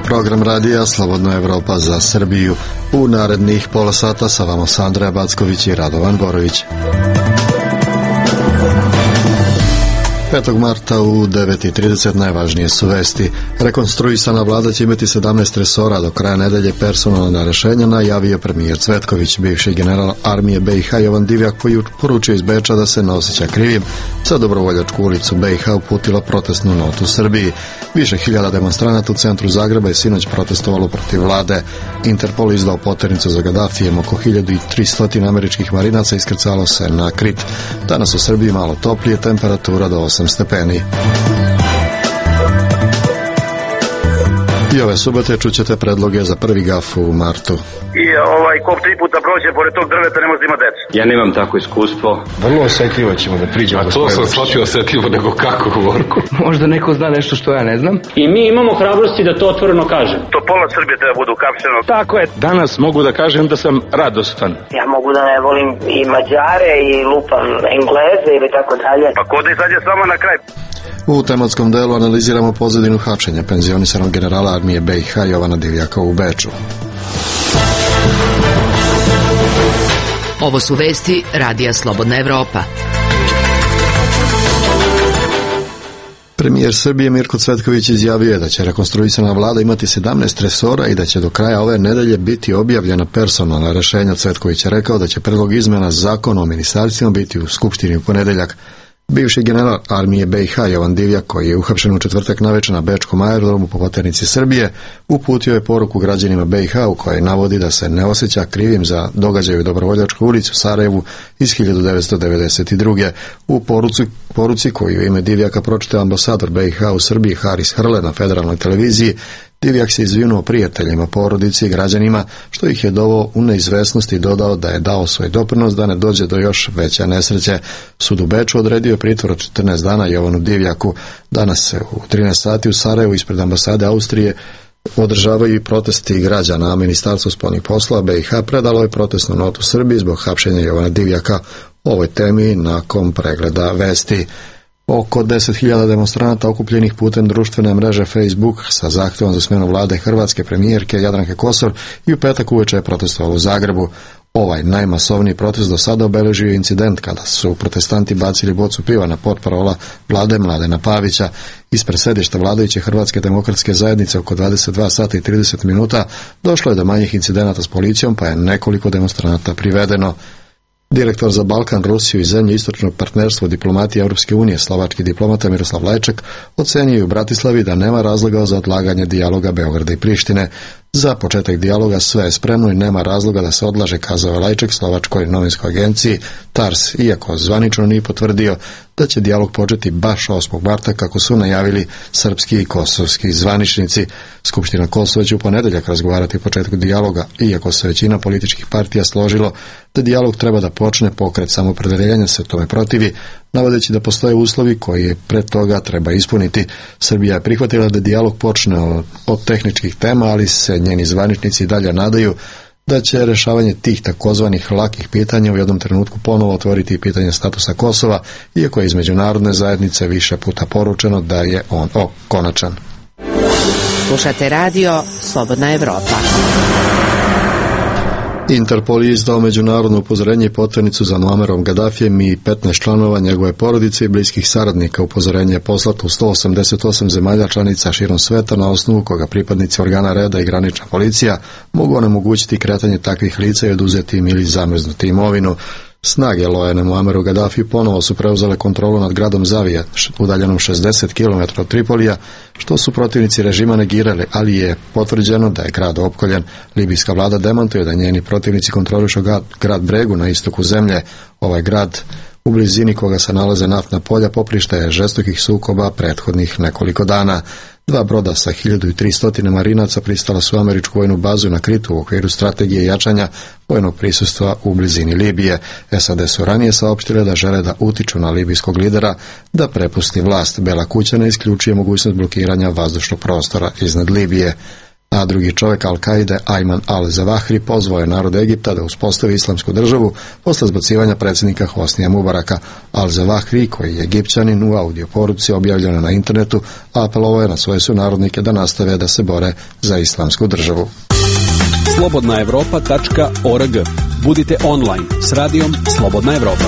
program radija Slobodna Evropa za Srbiju. U narednih pola sata sa vama Sandra Backović i Radovan Borović. 5. marta u 9:30 najvažnije su vesti. Rekonstruisana vlada će imati 17 resora do kraja nedelje. Personalna rešenja najavio premijer Cvetković. Bivši general armije BiH Jovan Divjak poručio iz Beča da se ne osjeća krivim. Za Dobrovoljačku ulicu BiH uputila protestnu notu Srbiji. Više hiljada demonstranata u centru Zagreba je sinoć protestovalo protiv vlade. Interpol izdao poternicu za Gadafijem. Oko 1300 američkih marinaca iskrcalo se na Krit. Danas u Srbiji malo toplije, temperatura do 8 stepeni. I ove subote čućete predloge za prvi gaf u martu. I kop 3 puta prođe pored tog drveta, ne može da ima deca. Ja nemam tako iskustvo. Vrlo osjetljivo ćemo da priđemo. A to sam shvatio osjetljivo nego kako govorku. Možda neko zna nešto što ja ne znam. I mi imamo hrabrosti da to otvoreno kažem. To pola Srbije treba budu uhapšeno. Tako je. Danas mogu da kažem da sam radostan. Ja mogu da ne volim i Mađare i lupam Engleze ili tako dalje. Pa ko da izađe s vama na kraj? U tematskom delu analiziramo pozadinu hapšenja penzionisanog generala armije BiH Jovana Divjaka u Beču. Ovo su vesti Radija Slobodna Evropa. Premijer Srbije Mirko Cvetković izjavio je da će rekonstruisana vlada imati 17 resora i da će do kraja ove nedelje biti objavljena personalna rešenja. Cvetković je rekao da će predlog izmena zakona o ministarstvima biti u Skupštini u ponedeljak. Bivši general armije BiH Jovan Divjak, koji je uhapšen u četvrtak navečer na bečkom aerodromu po poternici Srbije, uputio je poruku građanima BiH u kojoj navodi da se ne osjeća krivim za događaj u Dobrovoljačkoj ulici u Sarajevu iz 1992. U poruci koju u ime Divjaka pročitao ambasador BiH u Srbiji Haris Hrle na federalnoj televiziji, Divjak se izvinuo prijateljima, porodici i građanima, što ih je doveo u neizvesnost i dodao da je dao svoj doprinos da ne dođe do još veće nesreće. Sud u Beču odredio pritvor od 14 dana Jovanu Divjaku. Danas se u 13 sati u Sarajevu ispred ambasade Austrije održavaju i protesti građana, a Ministarstvo spoljnih poslova BiH predalo je protestnu notu Srbiji zbog hapšenja Jovana Divjaka. O ovoj temi nakon pregleda vesti. Oko 10.000 demonstranata okupljenih putem društvene mreže Facebook sa zahtjevom za smjenu vlade hrvatske premijerke Jadranke Kosor i u petak uveče je protestovalo u Zagrebu. Ovaj najmasovniji protest do sada obeležio incident kada su protestanti bacili bocu piva na portparola vlade Mladena Pavića. Ispred sedišta vladajuće Hrvatske demokratske zajednice oko 22 sata i 30 minuta došlo je do manjih incidenata s policijom, pa je nekoliko demonstranata privedeno. Direktor za Balkan, Rusiju i zemlje istočnog partnerstva diplomatije Europske unije, slovački diplomata Miroslav Lajček, ocenio u Bratislavi da nema razloga za odlaganje dijaloga Beograda i Prištine. Za početak dijaloga sve je spremno i nema razloga da se odlaže, kazao je Lajček slovačkoj novinskoj agenciji TARS, iako zvanično nije potvrdio da će dijalog početi baš 8. marta kako su najavili srpski i kosovski zvaničnici. Skupština Kosova će u ponedeljak razgovarati o početku dijaloga, iako se većina političkih partija složilo da dijalog treba da počne, pokret Samoopredeljanja se tome protivi, navodeći da postoje uslovi koji je pred toga treba ispuniti. Srbija je prihvatila da dijalog počne od tehničkih tema, ali se njeni zvaničnici dalje nadaju da će rešavanje tih takozvanih lakih pitanja u jednom trenutku ponovo otvoriti pitanje statusa Kosova, iako je iz međunarodne zajednice više puta poručeno da je on konačan. Slušate radio Slobodna Evropa. Interpol je izdao međunarodno upozorenje i poternicu za Muammerom Gadafijem i 15 članova njegove porodice i bliskih saradnika. Upozorenje je poslato u 188 zemalja članica širom sveta, na osnovu koga pripadnici organa reda i granična policija mogu onemogućiti kretanje takvih lica i oduzeti im ili zamrznuti imovinu. Snage lojane Muammeru Gadafi ponovo su preuzele kontrolu nad gradom Zavija, udaljenom 60 km od Tripolija, što su protivnici režima negirali, ali je potvrđeno da je grad opkoljen. Libijska vlada demantuje da njeni protivnici kontrolišu grad Bregu na istoku zemlje. Ovaj grad, u blizini koga se nalaze naftna polja, poprište je žestokih sukoba prethodnih nekoliko dana. 2 broda sa 1300 marinaca pristala su u američku vojnu bazu na Kritu u okviru strategije jačanja vojnog prisustva u blizini Libije. SAD su ranije saopštile da žele da utiču na libijskog lidera da prepusti vlast. Bela kuća ne isključuje mogućnost blokiranja vazdušnog prostora iznad Libije. a drugi čovjek Al-Kaide, Ayman al-Zawahri, pozvao je narod Egipta da uspostavi islamsku državu posle zbacivanja predsjednika Hosnija Mubaraka. Al-Zawahri, koji je Egipćanin, u audio poruci objavljeno na internetu, apelovao je na svoje sunarodnike da nastave da se bore za islamsku državu. slobodnaevropa.org. Budite online s radijom Slobodna Evropa.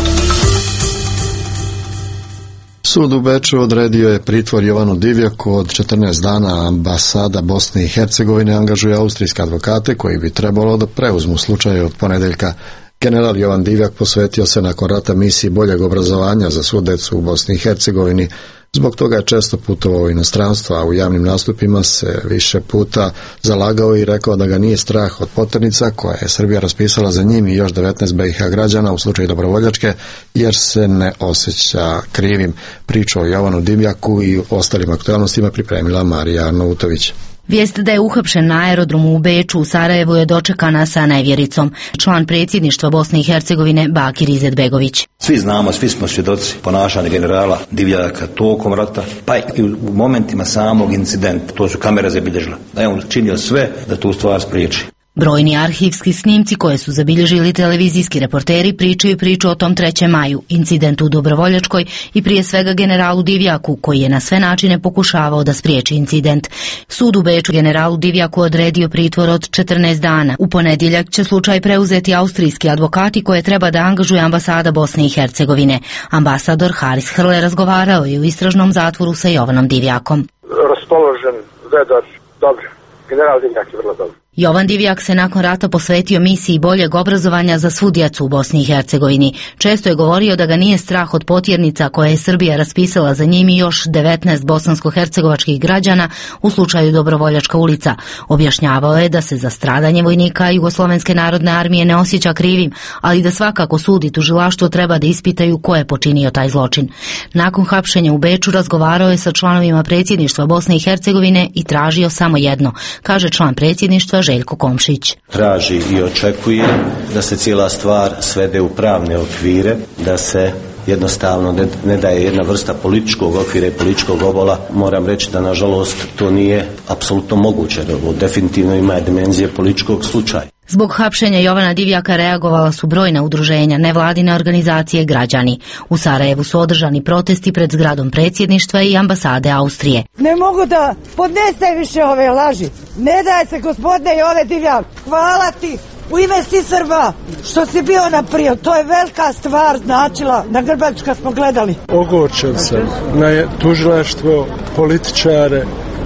Sud u Beču odredio je pritvor Jovanu Divjaku od 14 dana. Ambasada Bosne i Hercegovine angažuje austrijske advokate koji bi trebalo da preuzmu slučaj od ponedeljka. General Jovan Divjak posvetio se nakon rata misiji boljeg obrazovanja za svu decu u Bosni i Hercegovini. Zbog toga je često putovao u inostranstvo, a u javnim nastupima se više puta zalagao i rekao da ga nije strah od poternica koje je Srbija raspisala za njim i još 19 BiH građana u slučaju Dobrovoljačke, jer se ne osjeća krivim. Priču o Jovanu Divjaku i ostalim aktualnostima pripremila Marija Arnautović. Vijest da je uhapšen na aerodromu u Beču u Sarajevu je dočekana sa nevjericom. Član predsjedništva Bosne i Hercegovine Bakir Izetbegović. Svi znamo, svi smo svjedoci ponašanja generala Divjaka tokom rata, pa i u momentima samog incidenta. To su kamere zabilježile. Da je on činio sve da tu stvar spriječi. Brojni arhivski snimci koje su zabilježili televizijski reporteri pričaju priču o tom 3. maju, incidentu u Dobrovoljačkoj i prije svega generalu Divjaku, koji je na sve načine pokušavao da spriječi incident. Sud u Beču generalu Divjaku odredio pritvor od 14 dana. U ponedjeljak će slučaj preuzeti austrijski advokati koje treba da angažuje ambasada Bosne i Hercegovine. Ambasador Haris Hrle razgovarao je u istražnom zatvoru sa Jovanom Divjakom. Raspoložen, vedar, dobro. General Divjak je vrlo dobro. Jovan Divjak se nakon rata posvetio misiji boljeg obrazovanja za svu djecu u Bosni i Hercegovini. Često je govorio da ga nije strah od potjernica koje je Srbija raspisala za njim i još 19 bosansko-hercegovačkih građana u slučaju Dobrovoljačka ulica. Objašnjavao je da se za stradanje vojnika Jugoslovenske narodne armije ne osjeća krivim, ali da svakako sud i tužilaštvo treba da ispitaju ko je počinio taj zločin. Nakon hapšenja u Beču razgovarao je sa članovima predsjedništva Bosne i Hercegovine i tražio samo jedno, kaže član predsjedništva Željko Komšić. Traži i očekuje da se cijela stvar svede u pravne okvire, da se jednostavno ne daje jedna vrsta političkog okvira i političkog obola. Moram reći da nažalost to nije apsolutno moguće. Ovo definitivno ima dimenzije političkog slučaja. Zbog hapšenja Jovana Divjaka reagovala su brojna udruženja, nevladine organizacije, građani. U Sarajevu su održani protesti pred zgradom predsjedništva i ambasade Austrije. Ne mogu da podnesem više ove laži. Ne daj se, gospodine Jove Divjak. Hvala ti u ime svih Srba što si bio naprijed. To je velika stvar značila. Na Grbaču kad smo gledali. Ogorčen sam na tužilaštvo, političare,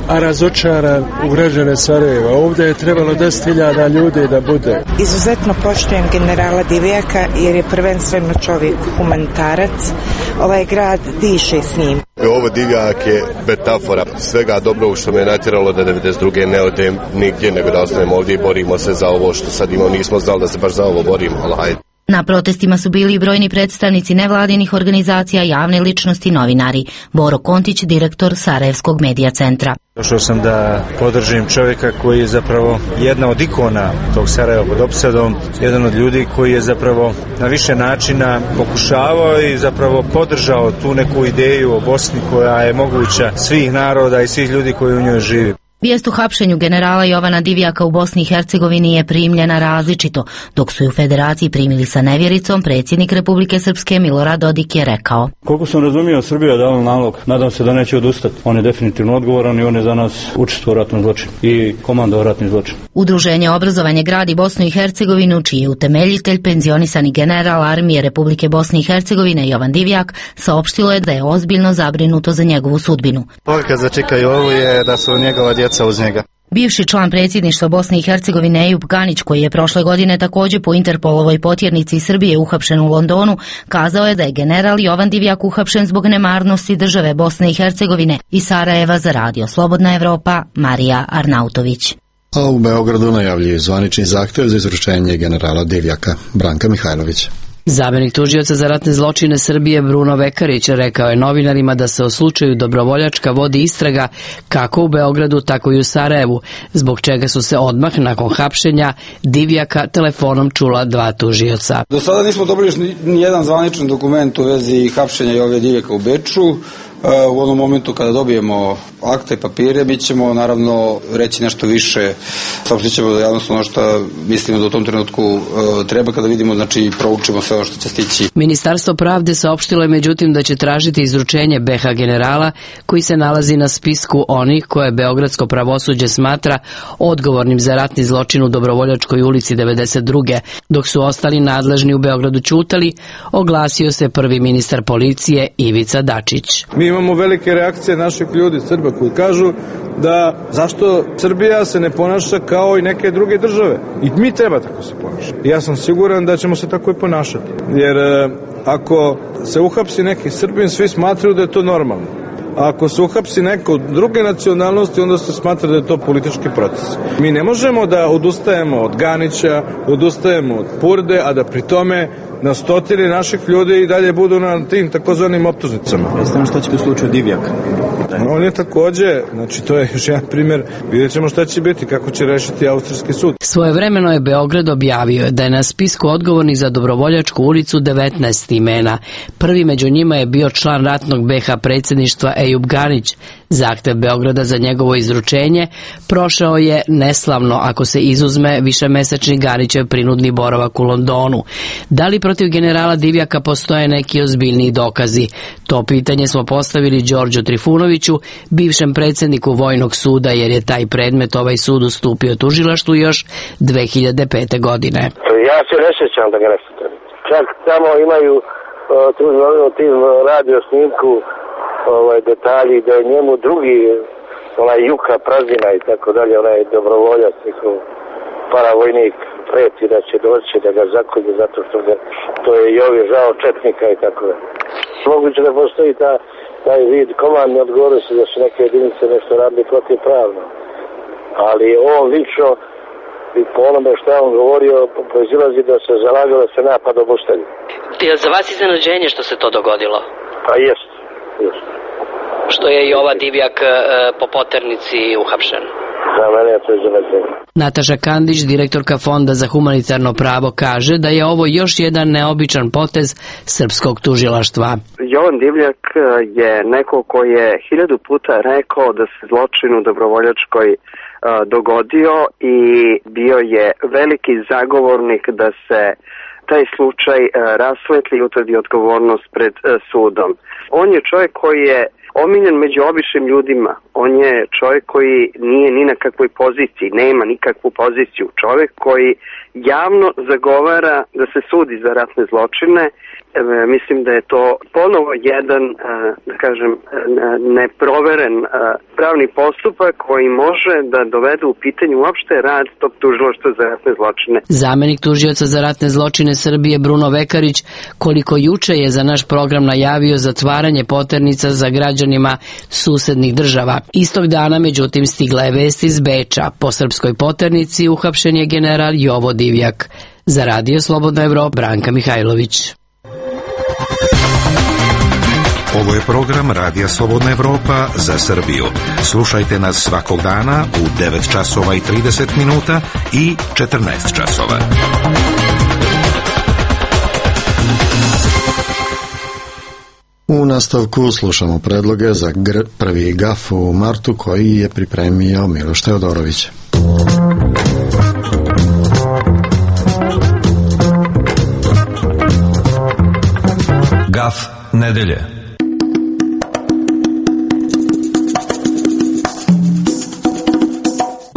a razočaran u građane Sarajeva. Ovdje je trebalo 10.000 ljudi da bude. Izuzetno poštujem generala Divjaka jer je prvenstveno čovjek humanitarac. Ovaj grad diše s njim. Ovo Divjak je metafora svega dobro što me natjeralo da 92. ne odem nigdje, nego da ostanem ovdje i borimo se za ovo što sad imamo. Nismo znali da se baš za ovo borimo, ali hajde. Na protestima su bili i brojni predstavnici nevladinih organizacija, javne ličnosti, novinari. Boro Kontić, direktor Sarajevskog medija centra. Došao sam da podržim čovjeka koji je zapravo jedna od ikona tog Sarajeva pod opsadom, jedan od ljudi koji je zapravo na više načina pokušavao i zapravo podržao tu neku ideju o Bosni koja je moguća svih naroda i svih ljudi koji u njoj živi. Vijest o hapšenju generala Jovana Divjaka u Bosni i Hercegovini je primljena različito. Dok su ju u Federaciji primili sa nevjericom, predsjednik Republike Srpske Milorad Dodik je rekao: koliko sam razumio, Srbija je dala nalog, nadam se da neće odustati. On je definitivno odgovoran i on je za nas učestvovao u ratnom zločinu i komandovao ratni zločin. Udruženje Obrazovanje gradi Bosnu i Hercegovinu, čiji je utemeljitelj penzionisani general armije Republike Bosne i Hercegovine Jovan Divjak, saopštilo je da je ozbiljno zabrinuto za njegovu sudbinu. Poruka za Čika Jovu je da su njegova djeca uz njega. Bivši član predsjedništva Bosne i Hercegovine Ejup Ganić, koji je prošle godine također po Interpolovoj potjernici Srbije uhapšen u Londonu, kazao je da je general Jovan Divjak uhapšen zbog nemarnosti države Bosne i Hercegovine. Iz Sarajeva za radio Slobodna Evropa, Marija Arnautović. A u Beogradu najavljuje zvanični zahtjev za izručenje generala Divjaka. Branka Mihajlović. Zamenik tužioca za ratne zločine Srbije Bruno Vekarić rekao je novinarima da se o slučaju Dobrovoljačka vodi istraga kako u Beogradu, tako i u Sarajevu, zbog čega su se odmah nakon hapšenja Divjaka telefonom čula dva tužioca. Do sada nismo dobili ni jedan zvaničan dokument u vezi hapšenja Jove Divjaka u Beču. U onom momentu kada dobijemo akte, papire, mi ćemo naravno reći nešto više, saopštit ćemo da javnost ono što mislimo da u tom trenutku treba kada vidimo, znači proučimo sve ono što će stići. Ministarstvo pravde saopštilo je međutim da će tražiti izručenje BH generala koji se nalazi na spisku onih koje beogradsko pravosuđe smatra odgovornim za ratni zločin u Dobrovoljačkoj ulici 92. Dok su ostali nadležni u Beogradu ćutali, oglasio se prvi ministar policije Ivica Dačić. Mi imamo velike reakcije naših ljudi, Srba, koji kažu da zašto Srbija se ne ponaša kao i neke druge države. I mi treba tako se ponašati. Ja sam siguran da ćemo se tako i ponašati. Jer ako se uhapsi neki Srbin, svi smatraju da je to normalno. A ako se uhapsi neko druge nacionalnosti, onda se smatra da je to politički proces. Mi ne možemo da odustajemo od Ganića, odustajemo od Purde, a da pri tome na stotine naših ljudi i dalje budu na tim takozvanim optužnicama. Jeste što će u slučaju Divjaka? On je takođe, znači to je još jedan primjer, vidjet ćemo šta će biti, kako će rešiti austrijski sud. Svojevremeno je Beograd objavio da je na spisku odgovornih za Dobrovoljačku ulicu 19 imena. Prvi među njima je bio član ratnog BH predsjedništva Ejub Ganić. Zahtev Beograda za njegovo izručenje prošao je neslavno ako se izuzme višemesečni Ganićev prinudni boravak u Londonu. Da li protiv generala Divjaka postoje neki ozbiljniji dokazi? To pitanje smo postavili Đorđu Trifunoviću, bivšem predsjedniku Vojnog suda, jer je taj predmet ovaj sud ustupio tužilaštvu još 2005. godine. Ja se ne sjećam da ga ne sjećam. Čak tamo imaju tim radio snimku detalji da je njemu drugi Juka Prazina i tako dalje, onaj dobrovoljac, paravojnik, preti da će doći da ga zakolje zato što to je Jovi žao četnika i tako dalje. Moguće da postoji taj vid komandne odgovornosti da su neke jedinice nešto radili protivpravno. Ali on lično i po onome što je on govorio proizilazi da se zalagao da se napad obustavi. Je za vas iznenađenje što se to dogodilo? Pa jest. Što je i ova Divjak po poternici uhapšen? Za mene je to iznenađenje. Nataša Kandić, direktorka Fonda za humanitarno pravo, kaže da je ovo još jedan neobičan potez srpskog tužilaštva. Jovan Divjak je neko koji je 1000 puta rekao da se zločin u Dobrovoljačkoj dogodio i bio je veliki zagovornik da se taj slučaj rasvetli i utvrdi odgovornost pred sudom. On je čovjek koji je omiljen među običnim ljudima. On je čovjek koji nije ni na kakvoj poziciji, nema nikakvu poziciju. Čovjek koji javno zagovara da se sudi za ratne zločine. Mislim da je to ponovo jedan, da kažem, neproveren pravni postupak koji može da dovede u pitanje uopšte rad tog tužilaštva za ratne zločine. Zamenik tužioca za ratne zločine Srbije Bruno Vekarić koliko juče je za naš program najavio zatvaranje poternica za građanima susednih država. Istog dana, međutim, stigla je vest iz Beča. Po srpskoj poternici uhapšen je general Jovo Divjak. Za Radio Slobodna Evropa, Branka Mihajlović. Ovo je program Radija Slobodna Evropa za Srbiju. Slušajte nas svakog dana u 9 časova i 30 minuta i 14 časova. U nastavku slušamo predloge za prvi gaf u martu koji je pripremio Miloš Teodorović. Gaf nedelje.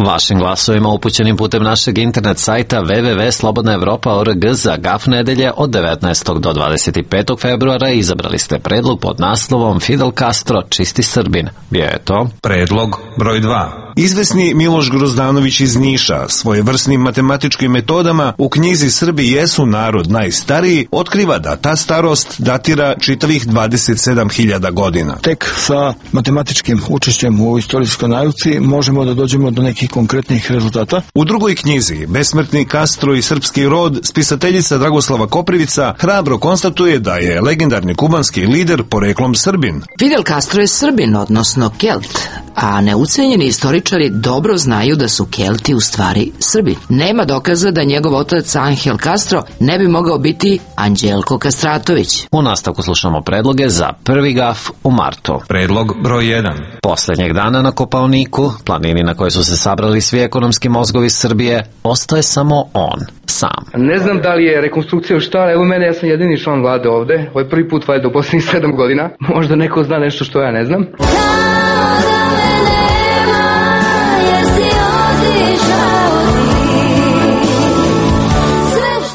Vašim glasovima upućenim putem našeg internet sajta www.slobodnaevropa.org za gaf nedelje od 19. do 25. februara izabrali ste predlog pod naslovom Fidel Castro, čisti Srbin. Bio je to predlog broj 2. Izvesni Miloš Grozdanović iz Niša svojevrsnim matematičkim metodama u knjizi Srbi jesu narod najstariji otkriva da ta starost datira čitavih 27.000 godina. Tek sa matematičkim učešćem u istorijskoj nauci možemo da dođemo do nekih konkretnih rezultata. U drugoj knjizi Besmrtni Castro i srpski rod spisateljica Dragoslava Koprivica hrabro konstatuje da je legendarni kubanski lider poreklom Srbin. Fidel Castro je Srbin, odnosno Kelt. a neucenjeni istoričari dobro znaju da su Kelti u stvari Srbi. Nema dokaza da njegov otac Angel Castro ne bi mogao biti Anđelko Kastratović. U nastavku slušamo predloge za prvi gaf u martu. Predlog broj 1. Poslednjeg dana na Kopaoniku, planini na kojoj su se sabrali svi ekonomski mozgovi Srbije, ostaje samo on, sam. Ne znam da li je rekonstrukcija šta, evo mene, ja sam jedini član vlade ovde, ovo je prvi put valjda u poslednjih 7 godina, možda neko zna nešto što ja ne znam.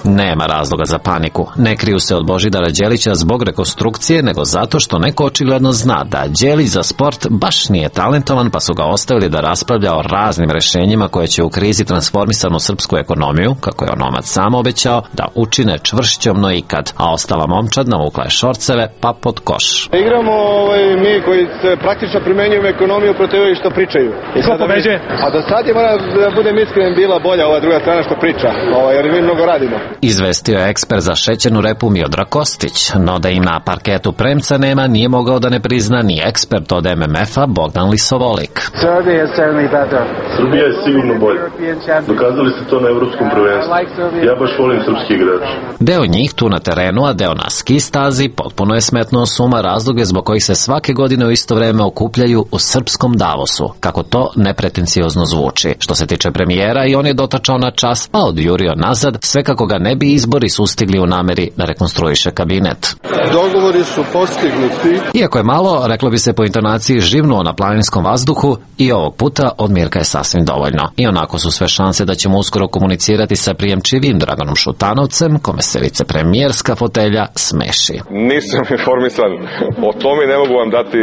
Nema razloga za paniku. Ne kriju se od Božidara Đelića zbog rekonstrukcije, nego zato što neko očigledno zna da Đelić za sport baš nije talentovan, pa su ga ostavili da raspravlja o raznim rešenjima koje će u krizi transformisanu srpsku ekonomiju, kako je onomad sam obećao, da učine čvršćom no ikad, a ostala momčad navukla je šorceve pa pod koš. Igramo mi koji se praktično primenjujemo ekonomiju protiv ovih što pričaju. Ko pobeđuje? A do sad je, moram da budem iskren, bila bolja ova druga strana što priča, jer mi mnogo radimo. Izvestio je ekspert za šećernu repu Miodrag Kostić, no da im na parketu premca nema nije mogao da ne prizna ni ekspert od MMF-a Bogdan Lisovolik. Srbija je sigurno bolja. Dokazali ste to na evropskom prvenstvu. Ja baš volim srpski igrač. Deo njih tu na terenu, a deo na ski stazi potpuno je smetnuo suma razloge zbog kojih se svake godine u isto vreme okupljaju u srpskom Davosu, kako to nepretenciozno zvuči. Što se tiče premijera, i on je dotačao na čas, a odjurio nazad, sve kako ga ne bi izbori sustigli u nameri da rekonstruiše kabinet. Dogovori su postignuti. Iako je malo, reklo bi se po intonaciji, živnuo na planinskom vazduhu, i ovog puta od Mirka je sasvim dovoljno. I onako su sve šanse da ćemo uskoro komunicirati sa prijemčivim Draganom Šutanovcem, kome se vicepremijerska fotelja smeši. Nisam informisan o tome, ne mogu vam dati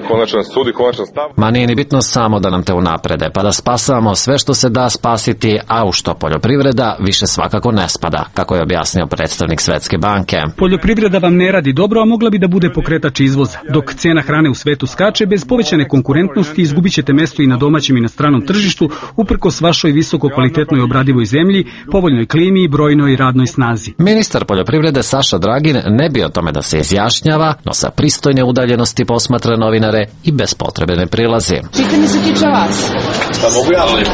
konačan sud i konačan stav. Ma nije ni bitno samo da nam te unaprede, pa da spasavamo sve što se da spasiti, a u što poljoprivreda više svakako ne spada, kako je objasnio predstavnik Svetske banke. Poljoprivreda vam ne radi dobro, a mogla bi da bude pokretač izvoza. Dok cena hrane u svetu skače, bez povećane konkurentnosti izgubit ćete mesto i na domaćem i na stranom tržištu, uprkos vašoj visoko kvalitetnoj obradivoj zemlji, povoljnoj klimi i brojnoj radnoj snazi. Ministar poljoprivrede Saša Dragin ne bi o tome da se izjašnjava, no sa pristojne udaljenosti posmatra novinare i bez potrebe ne prilazi. Pitanje se tiče vas. Šta mogu ja li?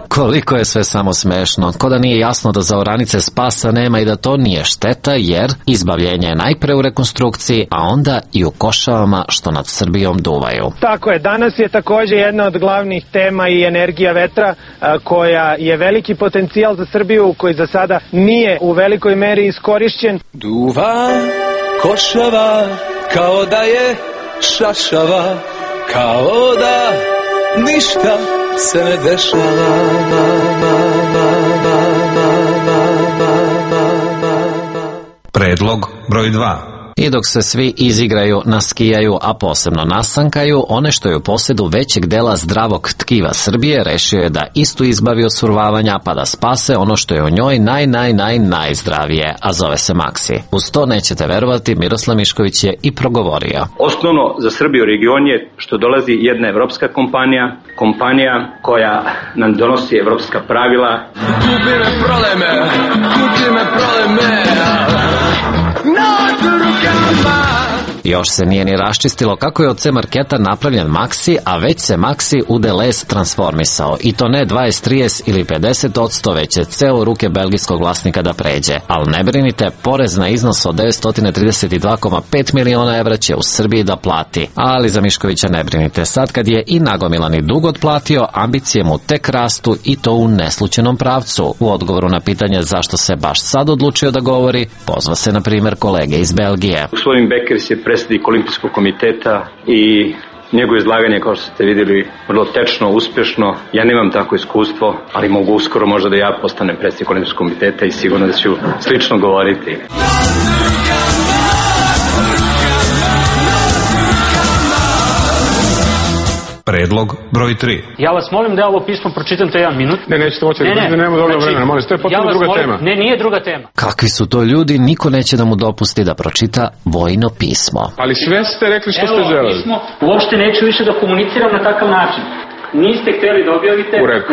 Koliko je sve samo smešno, ko da nije jasno da za oranice spasa nema i da to nije šteta, jer izbavljenje je najpre u rekonstrukciji, a onda i u košavama što nad Srbijom duvaju. Tako je, danas je takođe jedna od glavnih tema i energija vetra, koja je veliki potencijal za Srbiju, koji za sada nije u velikoj meri iskorišćen. Duva košava kao da je šašava, kao da ništa se ne dešava. Predlog broj 2. I dok se svi izigraju, naskijaju, a posebno nasankaju, one što je u posjedu većeg dela zdravog tkiva Srbije rešio je da istu izbavi od survavanja, pa da spase ono što je u njoj najzdravije, a zove se Maksi. Uz to nećete verovati, Miroslav Mišković je i progovorio. Osnovno za Srbiju region je što dolazi jedna evropska kompanija koja nam donosi evropska pravila. Kupi me proleme, Još se nije ni raščistilo kako je od C marketa napravljen Maxi, a već se Maxi u Deleuze transformisao. I to ne 20, 30 ili 50%, već je ceo u ruke belgijskog vlasnika da pređe. Ali ne brinite, porez na iznos od 932,5 miliona evra će u Srbiji da plati. Ali za Miškovića ne brinite, sad kad je i nagomilani dug otplatio, ambicije mu tek rastu i to u neslučenom pravcu. U odgovoru na pitanje zašto se baš sad odlučio da govori, pozva se na primjer kolege iz Belgije. Gospodin Bekers je predsjednik Olimpijskog komiteta i njegovo izlaganje, kao što ste vidjeli, vrlo tečno, uspješno. Ja nemam tako iskustvo, ali mogu uskoro možda da ja postanem predsjednik Olimpijskog komiteta i sigurno da ću slično govoriti. Predlog broj 3. Ja vas molim da ovo pismo pročitam to jedan minut. Ne, nećete moći, nemamo dovoljno vremena, molim, to je potpuno druga tema. Ne, nije druga tema. Kakvi su to ljudi, niko neće da mu dopusti da pročita vojno pismo. Ali sve ste rekli što ste želeli. Pismo, uopšte neću više da komuniciram na takav način. Niste hteli da objavite. U redu,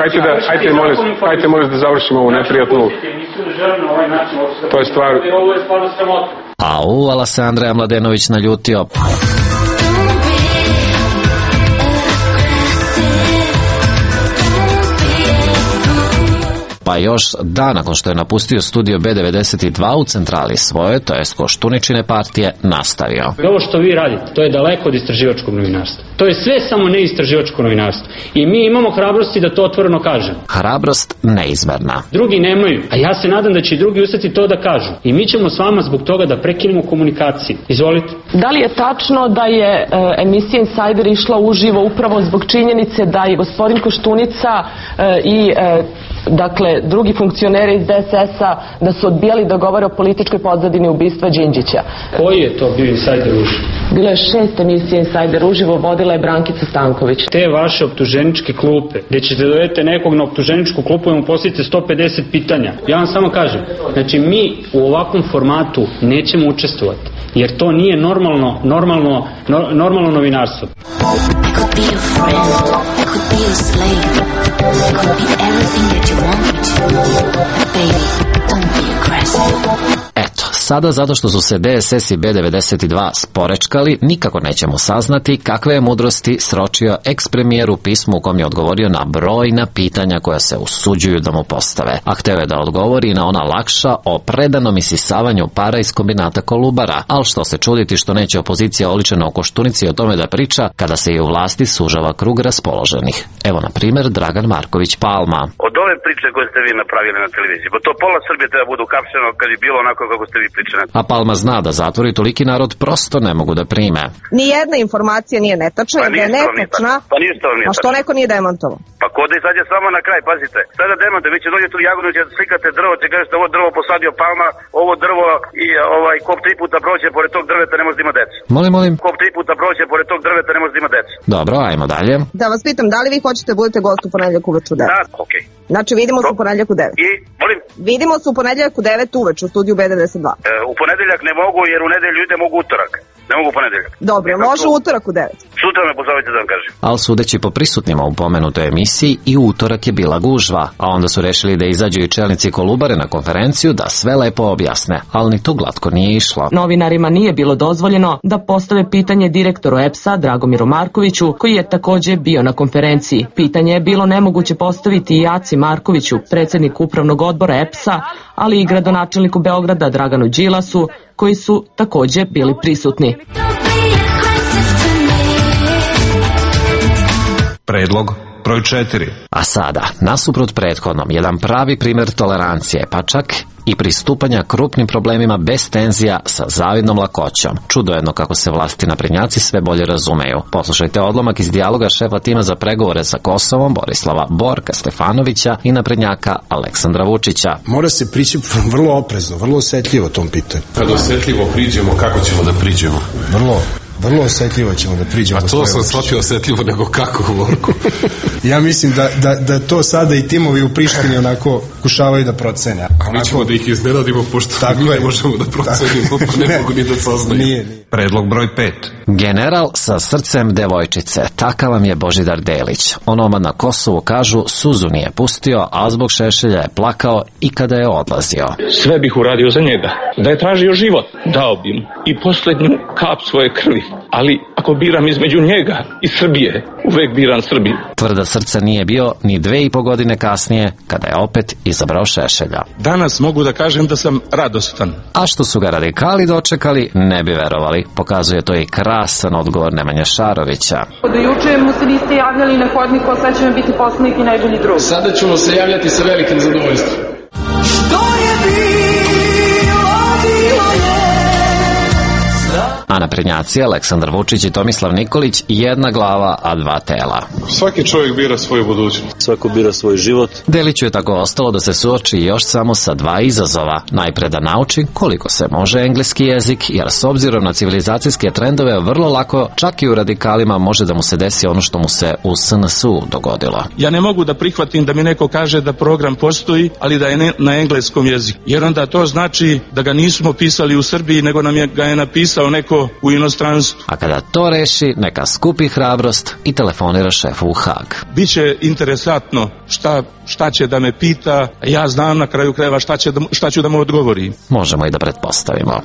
hajte molim da završimo ovu neprijatnu. To je stvar. Ovo je stvarno sramota. Au, Alasandra Mladenović naljutio. Pa još dan nakon što je napustio studio B92 u centrali svoje, to jest Koštuničine partije, nastavio. Ovo što vi radite, to je daleko od istraživačkog novinarstva. To je sve samo ne istraživačko novinarstvo. I mi imamo hrabrosti da to otvoreno kažemo. Hrabrost neizmerna. Drugi nemaju, a ja se nadam da će i drugi ustati to da kažu. I mi ćemo s vama zbog toga da prekinemo komunikaciju. Izvolite. Da li je tačno da je emisija Insider išla uživo upravo zbog činjenice da je gospodin Koštunica i dakle drugi funkcioneri iz DSS-a da su odbijali da govore o političkoj pozadini ubistva Đinđića? Koji je to bio Insider uživo? Bilo je 6 emisija Insider uživo, vodila je Brankica Stanković. Te vaše optuženičke klupe, gde ćete dovesti nekog na optuženičku klupu i mu postavite 150 pitanja. Ja vam samo kažem, znači mi u ovakvom formatu nećemo učestvovati, jer to nije normalno novinarstvo. Eto, sada zato što su se DSS i B92 sporečkali, nikako nećemo saznati kakve je mudrosti sročio eks-premijer u pismu u kom je odgovorio na brojna pitanja koja se usuđuju da mu postave. A hteo je da odgovori na ona lakša o predanom isisavanju para iz kombinata Kolubara, ali što se čuditi što neće opozicija oličena u Koštunici o tome da priča kada se i u vlasti sužava krug raspoloženih. Evo na primjer Dragan Marković Palma. Od ove priče koje ste vi napravili na televiziji, bo to pola Srbije treba budu kapšeno kad bi bilo onako kako ste vi pričali. A Palma zna da zatvori toliki narod prosto ne mogu da prime. Nijedna informacija nije netačna, da je netačna, a što neko nije demantovao? Pa ko da izađe samo na kraj, pazite. Sada demante, vi će dođete u Jagodinu, će slikate drvo, će kažete ovo drvo posadio Palma, ovo drvo i kop 3 puta prođe pored tog drveta ne može da ima decu. Molim. Kop 3 puta prođe pored tog drveta ne može da ima decu. Dobro, ajmo dalje. Da vas pitam, da li vi hoćete budete gost u ponedeljak uveče u 9? Da, okej. Znači vidimo se u ponedeljak u 9. I, molim? Vidimo se u ponedeljak u 9 uveče u studiju B92. U ponedeljak ne mogu jer u nedelju idem mogu utorak. Ne mogu ponedeljak. Dobro, može utorak u 9. Sutra me pozovite da vam kažem. Ali sudeći po prisutnima u pomenutoj emisiji i utorak je bila gužva, a onda su rešili da izađu i čelnici Kolubare na konferenciju da sve lepo objasne, ali ni to glatko nije išlo. Novinarima nije bilo dozvoljeno da postave pitanje direktoru EPS-a Dragomiru Markoviću, koji je takođe bio na konferenciji. Pitanje je bilo nemoguće postaviti i Aci Markoviću, predsjedniku upravnog odbora EPS-a, ali i gradonačelniku Beograda Draganu Đilasu, koji su takođe bili prisutni. Predlog broj 4. A sada, nasuprot prethodnom, jedan pravi primjer tolerancije, pa čak i pristupanja krupnim problemima bez tenzija sa zavidnom lakoćom. Čudo jedno kako se vlasti naprednjaci sve bolje razumeju. Poslušajte odlomak iz dijaloga šefa tima za pregovore sa Kosovom Borislava Borka Stefanovića i naprednjaka Aleksandra Vučića. Mora se prići vrlo oprezno, vrlo osetljivo tom pitanju. Kad osetljivo priđemo, kako ćemo da priđemo? Vrlo osetljivo ćemo da priđemo. A to sam shvatio osetljivo nego kako, Borko? Ja mislim da to sada i timovi u Prištini onako kušavaju da procene. A mi ćemo da ih iznenadimo, pošto mi ne možemo da procenimo, pa ne mogu ni da saznaju. Nije. Predlog broj 5. General sa srcem devojčice, takav vam je Božidar Delić. Onoma na Kosovu kažu suzu nije pustio, a zbog Šešelja je plakao i kada je odlazio. Sve bih uradio za njega. Da je tražio život, dao bi mu i poslednju kap svoje krvi. Ali ako biram između njega i Srbije, uvek biram Srbiju. Tvrda srca nije bio ni 2,5 godine kasnije, kada je opet izabrao Šešelja. Danas mogu da kažem da sam radostan. A što su ga radikali dočekali, ne bi verovali. Pokazuje to i krasan odgovor Nemanje Šarovića. Do juče mu se niste javljali na hodniku, a sad će vam biti poslanik i najbolji drug. Sada ćemo se javljati sa velikim zadovoljstvom. A naprednjaci Aleksandar Vučić i Tomislav Nikolić jedna glava, a dva tela. Svaki čovjek bira svoju budućnost. Svako bira svoj život. Deliću je tako ostalo da se suoči još samo sa 2 izazova. Najpre da nauči koliko se može engleski jezik, jer s obzirom na civilizacijske trendove vrlo lako, čak i u radikalima, može da mu se desi ono što mu se u SNS-u dogodilo. Ja ne mogu da prihvatim da mi neko kaže da program postoji, ali da je na engleskom jeziku. Jer onda to znači da ga nismo pisali u Srbiji, nego ga je napisao neko u inostranstvu. A kada to reši, neka skupi hrabrost i telefonira šefu u Hag. Biće interesantno šta će da me pita, ja znam na kraju krajeva šta ću da mu odgovorim. Možemo i da pretpostavimo.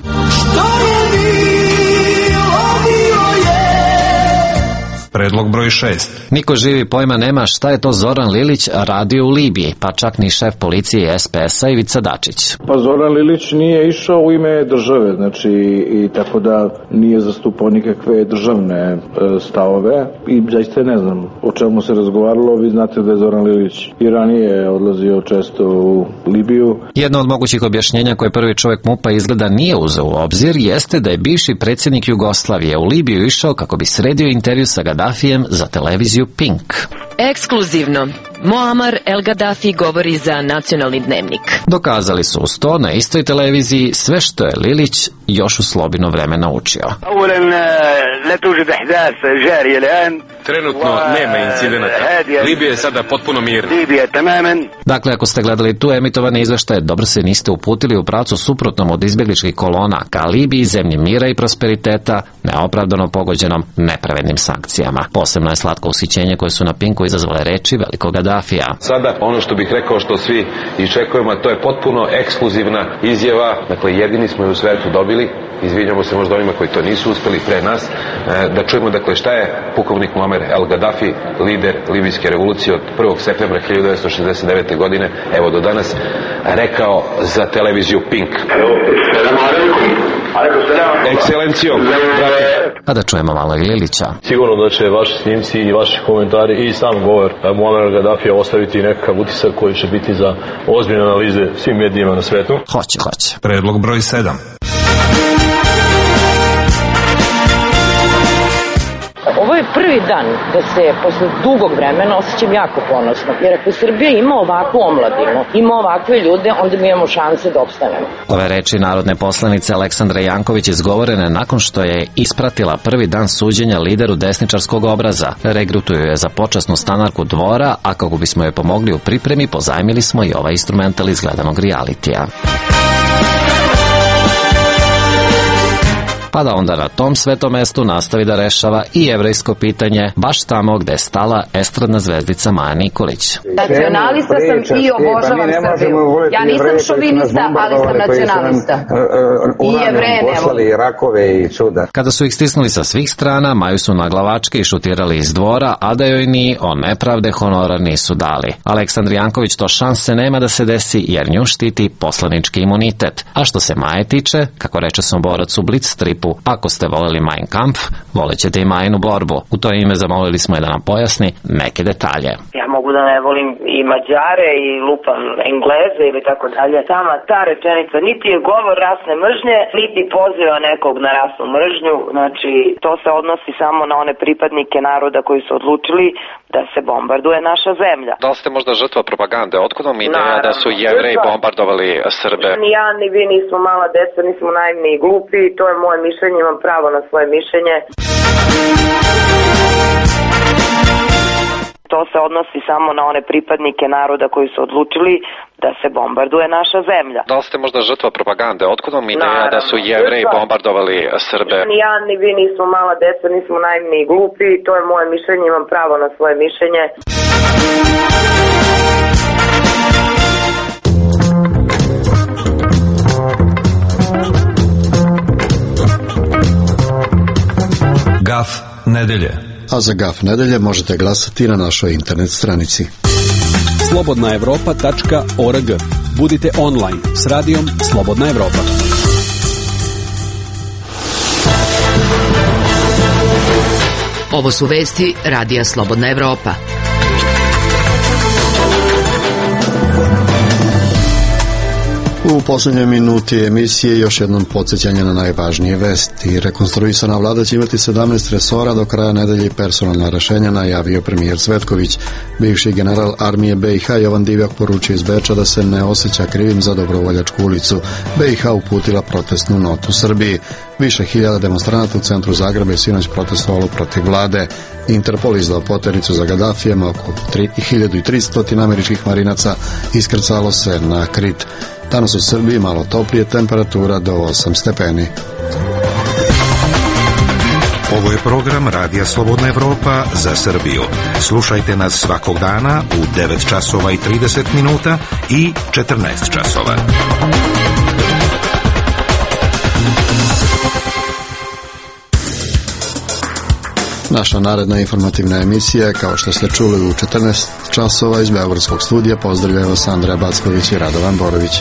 Predlog broj 6. Niko živi pojma nema šta je to Zoran Lilić radio u Libiji, pa čak ni šef policije SPS-a Ivica Dačić. Pa Zoran Lilić nije išao u ime države, znači i tako da nije zastupao nikakve državne stavove i zaista ne znam o čemu se razgovaralo. Vi znate da je Zoran Lilić i ranije odlazio često u Libiju. Jedno od mogućih objašnjenja koje prvi čovjek MUP-a izgleda nije uzeo u obzir jeste da je bivši predsjednik Jugoslavije u Libiju išao kako bi sredio intervju sa Gaddafijem za televiziju Pink. Ekskluzivno. Muammar El Gaddafi govori za Nacionalni dnevnik. Dokazali su uz to na istoj televiziji sve što je Lilić još u Slobino vreme naučio. Trenutno nema incidenata. Libija je sada potpuno mirna. Dakle, ako ste gledali tu emitovane izveštaje, dobro se niste uputili u pravcu suprotnom od izbjegličkih kolona ka Libiji, zemlji mira i prosperiteta, neopravdano pogođenom nepravednim sankcijama. Posebno je slatko usićenje koje su na Pinku izazvale reči velikog Gaddafija. Sada ono što bih rekao što svi iščekujemo, to je potpuno ekskluzivna izjava. Dakle, jedini smo je u svetu dobili. Izvinjamo se možda onima koji to nisu uspeli pre nas. Da čujemo dakle šta je pukovnik Muammar El Gaddafi, lider libijske revolucije od 1. septembra 1969. godine, evo do danas, rekao za televiziju Pink. Ekscelencijo, brate. A da čujemo malo i Lilića. Sigurno da će vaši snimci i vaši komentari i sam govor Muammara Gaddafija ostaviti nekakav utisak koji će biti za ozbiljne analize svim medijima na svetu. Hoće. Predlog broj 7. Ovo je prvi dan da se posle dugog vremena osjećam jako ponosno, jer ako Srbija ima ovakvu omladinu, ima ovakve ljude, onda mi imamo šanse da opstanemo. Ove reči narodne poslanice Aleksandre Janković izgovorene nakon što je ispratila prvi dan suđenja lideru desničarskog obraza. Regrutuju je za počasnu stanarku Dvora, a kako bismo joj pomogli u pripremi, pozajmili smo i ovaj instrumental iz gledanog realitija. Pa da onda na tom svetom mestu nastavi da rešava i jevrejsko pitanje, baš tamo gde je stala estradna zvezdica Maja Nikolić. Nacionalista sam i obožavam Srbiju. Ja nisam šovinista, ali sam nacionalista. I Jevreje nemo. Kada su ih stisnuli sa svih strana, Maju su na glavačke i šutirali iz Dvora, a da joj ni o nepravde honorar nisu dali. Aleksandar Janković to šanse nema da se desi, jer nju štiti poslanički imunitet. A što se Maje tiče, kako reče Somborac u Blitz stripu, ako ste voleli Mein Kampf, volećete i Majinu borbu. U to ime zamolili smo je da nam pojasni neke detalje. Ja mogu da ne volim i Mađare i lupam Engleze ili tako dalje. Sama ta rečenica niti je govor rasne mržnje, niti poziva nekog na rasnu mržnju. Znači, to se odnosi samo na one pripadnike naroda koji su odlučili da se bombarduje naša zemlja. Da li ste možda žrtva propagande? Otkud vam ideja da su Jevreji bombardovali Srbe? Ni ja, ni vi nismo mala deca, nismo naivni i glupi. To je moje mišljenje, imam pravo na svoje mišljenje. To se odnosi samo na one pripadnike naroda koji su odlučili da se bombarduje naša zemlja. Da li ste možda žrtva propagande? Otkud vam ideja da su Jevreji bombardovali Srbe? Ni ja, ni vi nismo mala deca, nismo naivni i glupi. To je moje mišljenje, imam pravo na svoje mišljenje. Gaf nedelje. A za Gaf nedelje možete glasati na našoj internet stranici. slobodnaevropa.org. Budite online s radijom Slobodna Evropa. Ovo su vesti Radija Slobodna Evropa. U posljednjoj minuti emisije još jednom podsjećanje na najvažnije vesti. Rekonstruisana vlada će imati 17 resora do kraja nedelje i personalna rešenja, najavio premijer Cvetković. Bivši general armije BiH Jovan Divjak poručio iz Beča da se ne osjeća krivim za Dobrovoljačku ulicu. BiH uputila protestnu notu Srbiji. Više hiljada demonstranata u centru Zagreba je sinoć protestovalo protiv vlade. Interpol izdao poternicu za Gaddafijem, oko 1300 američkih marinaca iskrcalo se na Krit. Danas u Srbiji malo toplije, temperatura do 8 stepeni. Ovo je program Radija Slobodna Evropa za Srbiju. Slušajte nas svakog dana u 9 časova i 30 minuta i 14 časova. Naša naredna informativna emisija, kao što ste čuli, u 14 časova iz Beogradskog studija. Pozdravljaju vas Andreja Backović i Radovan Borović.